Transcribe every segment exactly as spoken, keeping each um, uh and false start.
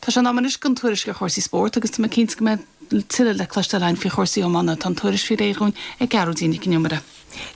Tá sé in am anois don tuairisc ar chúrsaí spóirt agus tá mé cinnte go mbeidh tuilleadh le cloisteáil againn faoi chúrsaí iomána tá an tuairisc faoi réir againn ag Gearóidín Nic an Iomaire.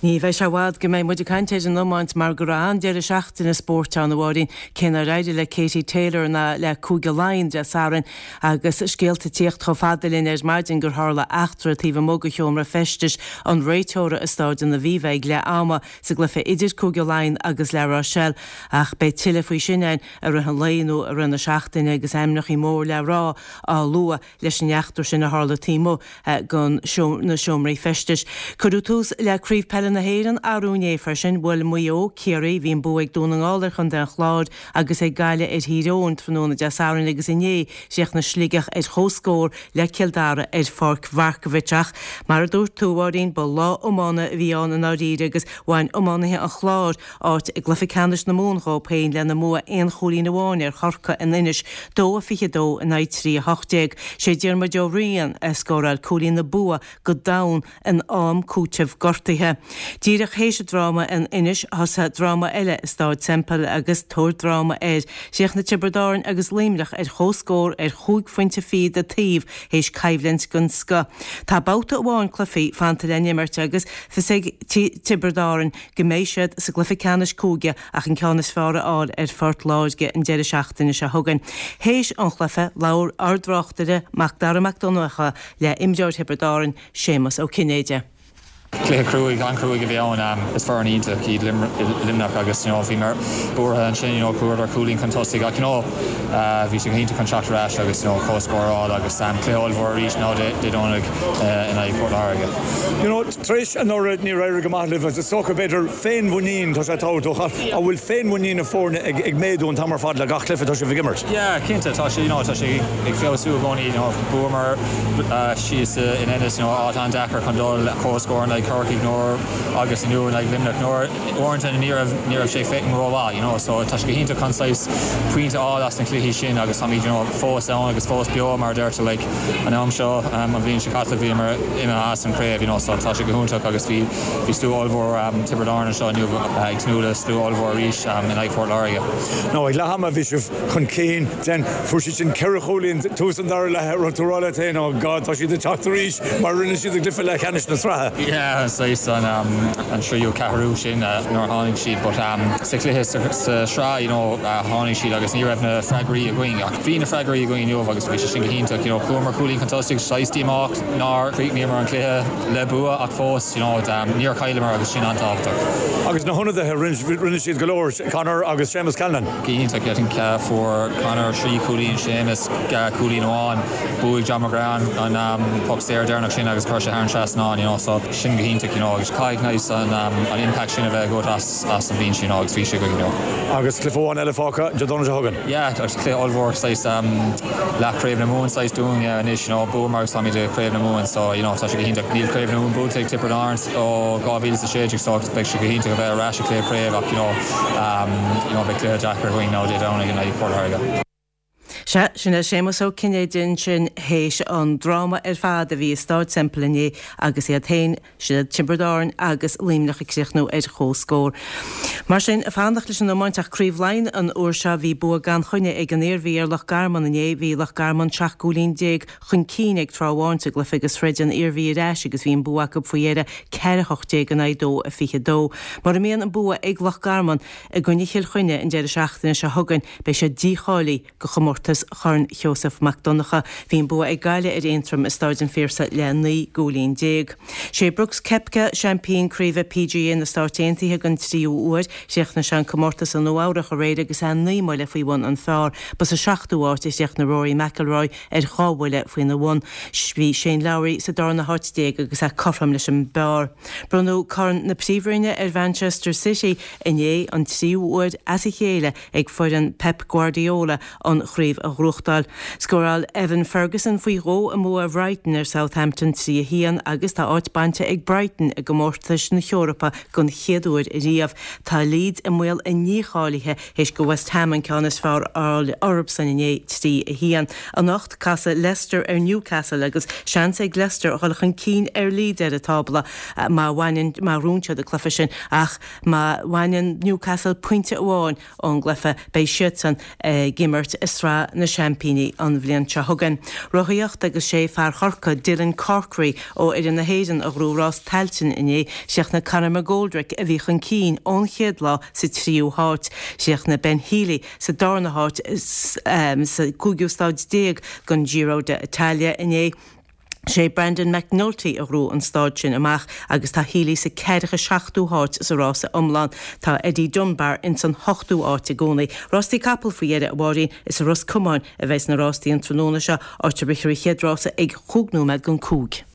Ní bheidh sé i bhfad go mbeidh muid ag caint ar an iomáint mar go raibh an-deireadh seachtaine spóirt ann a Mháirín cé nár éirigh le Katie Taylor ná le Cúige Laighean Dé Sathairn agus scéalta ag tíocht chomh fada linn ar maidin gur tharla eachtra taobh amuigh de sheomra feistis an réiteora i Staid an Aviva ag leath ama sa gcluiche idir Cúige Laighean agus La Rochelle ach beidh tuilleadh faoi sin ann i rith an lae nó i rith na seachtaine agus ainmneacha mór le rá á lua leis an eachtra sin a tharla taobh amuigh den na seomraí feistis. Cuireadh tús le Craobh Peile na hÉireann arú inné freisin bhuail Maigh Eo Ciarraí bhí an bua ag Dún na nGall ar Chontae an Chláir agus ag Gaillimh ar Thír Eoghain tráthnóna Dé Sathairn agus inné chríochnaigh Sligeach ar chomhscór le Cill Dara ar Pháirc Mharkievicz ach mar a dúirt tú Mháirín ba lá iomána a bhí ann i ndáiríre agus bhain iománaithe an Chláir áit i gcluiche ceannais na Mumhan dhóibh féin lena mbua aon chúilín amháin ar Chorcaigh in Inis dó a fiche dó in aghaidh trí a hocht déag. Sé Diarmuid Ó Riain a scóráil cúilín na bua go domhan in am cúitimh gortaithe. Díreach théis dráma in Inis thosaigh dráma eile i Staid Semple agus tabhair dráma air. Chríochnaigh Tiobraid Árann agus Luimneach ar chomhscór ar chúig phointe fichead an taobh théis coimhlint den scoth. Tá babhta amháin cluichí fanta le n-imirt agus fios ag Tiobraid Árann go mbeidh siad sa gcluiche ceannais cúige ach an ceann is fearr a fháil ar Phort Láirge an deireadh seachtaine seo chugainn. Théis an chluiche labhair ár dtráchtaire Mac Dara Mac Donncha le imreoir Thiobraid Árann Séamus Ó Cinnéide. Cluiche cruaidh an-chruaidh a bhí ann is foireann iontach iad Luimneach agus you know, bhí mar buartha ansin you know, chuadar cúilín chun tosaigh ach you know, uh, bhí sé iontach chun teacht ar ais agus you know, comhscór agus um, cluiche ollmhór arís ná Dé Domhnaigh uh, in aghaidh Port Láirge. You know, tar éis anuraidh níor éirigh go maith libh is dócha b'fhéidir féinmhuinín tá sé tábhachtach an bhfuil féinmhuinín na foirne ag, ag méadú an t-am ar fad le gach cluiche atá sibh ag imirt. Yeah, cinnte tá sé you know, tá sé ag feabhsú i gcónaí you know, bhuamar uh, síos in Ennis you know, áit an-deacair chun dul comhscór like Corcaigh nuair agus inniu like Luimneach nuair uaireanta ní raibh ní raibh sé féin rómhaith you know, so tá sé go hiontach chun saghas pointe a fháil as na cluichí sin agus táimid you know, fós ann agus fós beo mar deirtear like, an am seo um, an bhliain seo caite bhí mar ime as an craobh you know, so tá sé go hiontach agus bhí bhí slua ollmhór um, Tiobraid Árann seo inniu uh, ag tnúth le slua ollmhór arís um, in aghaidh Port Láirge. No ag leath ama bhí sibh chun cinn den fuair siad sin ceithre chúilín tús an dara leath raibh tú ag rá leat féin ó God tá siad ag teacht arís mar rinne siad a gcluiche leathcheannais na sraithe. Yeah, saghas an um, an tríú ceathrú sin uh, nuair tháinig siad but um, sa chluiche sa, sa sraith you know, uh, tháinig siad agus ní raibh na freagraí againn ach bhí na freagraí againn inniu agus bhí sé sin go hiontach you know, chuamar cúilín chun tosaigh saghas díomách nár chríochnaíomar an cluiche le bua ach fós you know, um, níor chailleamar agus sin an-tábhachtach. Agus na hionadaithe rinne siad go leor Conor agus Seamus Callan. Go hiontach I think uh, fuair Conor trí cúilín Seamus uh, cúilín amháin bhuaigh John McGrath an um, poc saor deireanach sin agus chuir sé thar an trasnán you know, so sin go hiontach you know, agus caithfidh nice an, um, an impact sin a bheith agat as, as an bhliain sin agus bhí sé go you know. Agus cluiche amháin eile fágtha Dé Domhnaigh seo chugainn. Yeah, agus cluiche ollmhór saghas um, leathchraobh na Mumhan saghas dúinn yeah, anois you know, bhuamar agus táimid i craobh na Mumhan so you know, tá sé go hiontach níl craobh na Mumhan buaite ag Tiobraid Árann ó dhá mhíle a sé déag so beidh sé go hiontach a bheith ar ais i cluiche craobh ach you know, um, you know, beidh cluiche deacair againn ná Dé Domhnaigh in aghaidh Port Láirge. Se sin é Séamus Ó Cinnéide sin théis an dráma ar fad a bhí i Staid Semple inné agus iad féin sin Tiobraid Árann agus Luimneach ag críochnú ar chomhscór. Mar sin fanacht leis an iomáint ach Craobh Laighean an uair seo bhí bua gan choinne ag an Iarmhí ar Loch Garman inné bhí Loch Garman seacht gcúilín déag chun cinn ag tráth amháin sa gcluiche agus throid an Iarmhí ar ais agus bhí an bua acu faoi dheireadh ceithre hocht déag in aghaidh dó a fiche dó. Mura mbíonn an bua ag Loch Garman i gcoinne Chill Chainnigh an deireadh seachtaine seo chugainn beidh sé dícháilithe go chomórtas Chorn Sheosamh Mac Donncha. Bhí an bua ag Gaillimh ar Aontroim i Staid an Phiarsaigh le naoi gcúilín déag. Sé Brooks Koepka seaimpín craoibhe PGA na Stáit Aontaithe den tríú huair, chríochnaigh sé an comórtas i Nua Eabhrac aréir agus é naoi mbuille faoi bhun an phar, Ba sa seachtú háit a chríochnaigh Rory McIlroy ar dhá bhuille faoina bhun. Bhí Shane Lowry sa darna háit déag agus é cothrom leis an bpar. Bronnadh Corn na Príomhroinne ar Manchester City inné an tríú huair as a chéile ag foireann Pep Guardiola an chraobh a ghnóthachtáil. Scóráil Evan Ferguson faoi dhó i mbua Brighton ar Southampton trí a haon agus tá áit bainte ag Brighton i gcomórtais na hEorpa den chéad uair riamh. Tá Leeds i mbaol a ndícháilithe théis do West Ham an ceann is fearr a fháil orthusan inné trí a haon. Anocht casfaidh Leicester ar Newcastle agus seans ag Leicester a dhul chun cinn ar Leeds ar an tábla má bhaineann má bhuann siad an cluiche sin ach má bhaineann Newcastle pointe amháin ón gcluiche beidh siadsan ag imirt i sraith na Seaimpíní an bhliain seo chugainn. Rothaíocht agus sé fear Chorcaí Dylan Corkery ó fhoireann na hÉireann a ghnóthaigh rás Tailteann inné chríochnaigh Conor McGoldrick a bhí chun cinn ón chéad lá sa tríú háit. Chríochnaigh Ben Healy sa darna háit sa cúigiú stáid déag den Giro d'Italia inné. Sé Brandon McNulty a ghnóthaigh an stáid sin amach agus tá Healy sa ceathracha seachtú háit sa rása iomlán tá Eddie Dunbar in san hochtú áit i gcónaí. Rástaí capall faoi dheireadh a Mháirín is i Ros Comáin a bheas na rástaí an tráthnóna seo áit a rithfear an chéad rása ag chúig nóiméad don cúig.